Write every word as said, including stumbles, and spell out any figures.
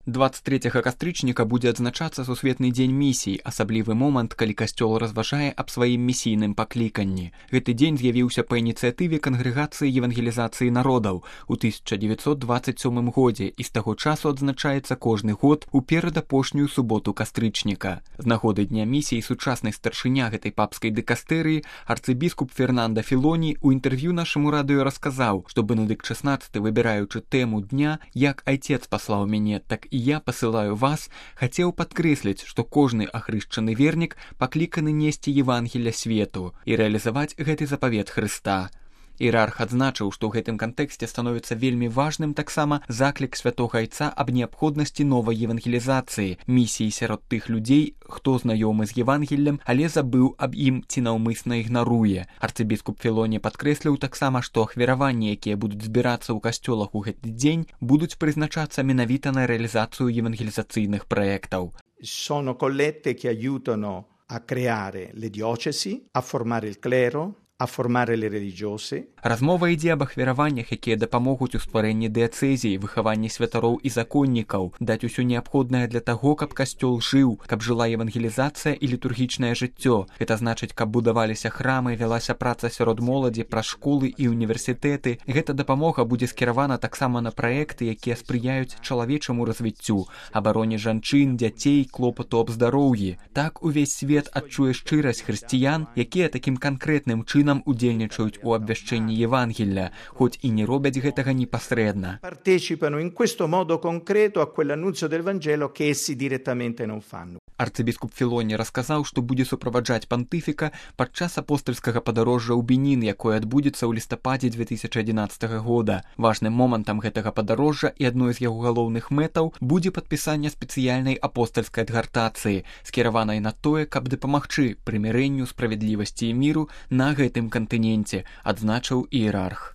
двадцать трэцяга кастрычніка будзе адзначацца сусветны дзень місій, асаблівы момант, калі касцёл разважае аб сваім місійным пакліканні. Гэты дзень з'явіўся па ініцыятыве Кангрэгацыі евангелізацыі народаў у тысяча дзевяцьсот дваццаць сёмым годзе і з таго часу адзначаецца кожны год у перадапошнюю суботу кастрычніка. З нагоды дня місій сучасны старшыня гэтай папскай дыкастэрыі арцыбіскуп Фернанда Філоні ў інтэрв'ю нашаму радыё расказаў, што Бенедыкт шаснаццаты, выбіраючы тэму дня, як айцец паслаў мяне, так і я пасылаю вас, хацеў падкрэсліць, што кожны ахрышчаны вернік пакліканы несці Евангелля свету і рэалізаваць гэты запавет Хрыста. Іерарх адзначыў, што ў гэтым кантэксце становіцца вельмі важным таксама заклік святога айца аб неабходнасці новай евангелізацыі, місіі сярод тых людзей, хто знаёмы з Евангеллем, але забыў аб ім ці наўмысна ігнаруе. Арцыбіскуп Філоні падкрэсліў таксама, што ахвяраванні, якія будуць збірацца ў касцёлах у гэты дзень, будуць прызначацца менавіта на рэалізацыю евангелізацыйных праектаў. Sono collette che aiutano a creare le diocesi, a formare il clero, a formare le religiose. Размова ідзе аб ахвяраваннях, якія дапамогуць у стварэнні дыяцэзій, выхаванні святароў і законнікаў, даць усё неабходнае для таго, каб касцёл жыў, каб жыла евангелізацыя і літургічнае жыццё. Гэта значыць, каб будаваліся храмы, вялася праца сярод моладзі, праз школы і універсітэты. Гэта дапамога будзе скіравана таксама на праекты, якія спрыяюць чалавечаму развіццю, абароне жанчын, дзяцей, клопату аб здароўі. Так увесь свет адчуе шчырасць хрысціян, якія такім канкрэтным чынам нам удзельнічаюць у абвяшчэнні Евангелля, хоць і не робяць гэтага непасрэдна. Partecipano in questo modo concreto a quell'annunzio del Vangelo che essi direttamente non fanno. Арцыбіскуп Філоні расказаў, што будзе суправаджаць пантыфіка падчас апостальскага падарожжа ў Бенін, якое адбудзецца ў лістападзе дзве тысячы адзінаццатага года. Важным момантам гэтага падарожжа і адной з яго галоўных мэтаў будзе падпісанне спецыяльнай апостальскай адгартацыі, скіраванай на тое, каб дапамагчы прымірэнню, справядлівасці і міру на гэтым кантыненце, адзначыў іерарх.